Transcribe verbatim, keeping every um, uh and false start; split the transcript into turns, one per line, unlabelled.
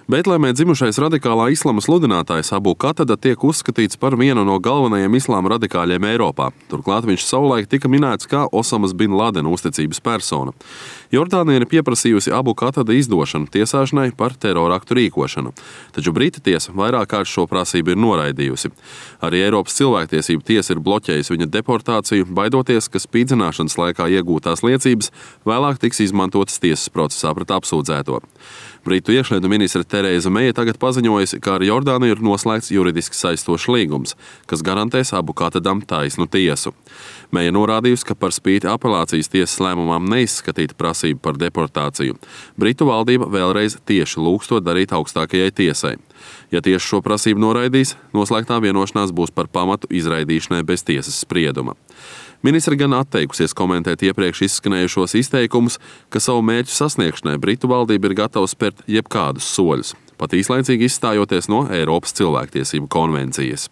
Betlēmē dzimušais radikālā islama sludinātājs Abu Katada tiek uzskatīts par vienu no galvenajiem islāma radikāļiem Eiropā. Turklāt viņš savulaik tika minēts kā Osamas bin Ladena uzticības persona. Jordānija ir pieprasījusi Abu Katada izdošanu tiesāšanai par teroraktu rīkošanu, taču Brita tiesa vairāk kārt šo prasību ir noraidījusi. Arī Eiropas cilvēktiesību tiesa ir bloķējusi viņa deportāciju, baidoties, ka spīdzināšanas laikā iegūtās liecības vēlāk tiks izmantotas tiesas procesā pret apsūdzēto. Britu iekšlietu ministre Tereza Meija tagad paziņojusi, ka ar Jordāniju ir noslēgts juridiski saistošs līgums, kas garantēs Abu Katadam taisnu tiesu. Meija norādījusi, ka par spīti apelācijas tiesas lēmumam neizskatīt prasību par deportāciju. Britu valdība vēlreiz tieši lūgs to darīt augstākajai tiesai. Ja tieši šo prasību noraidīs, noslēgtā vienošanās būs par pamatu izraidīšanai bez tiesas sprieduma. Ministre gan atteikusies komentēt iepriekš izskanējušos izteikumus, ka savu mērķu sasniegšanai Britu valdība ir gatava spērt jebkādus soļus, pat īslaicīgi izstājoties no Eiropas cilvēktiesību konvencijas.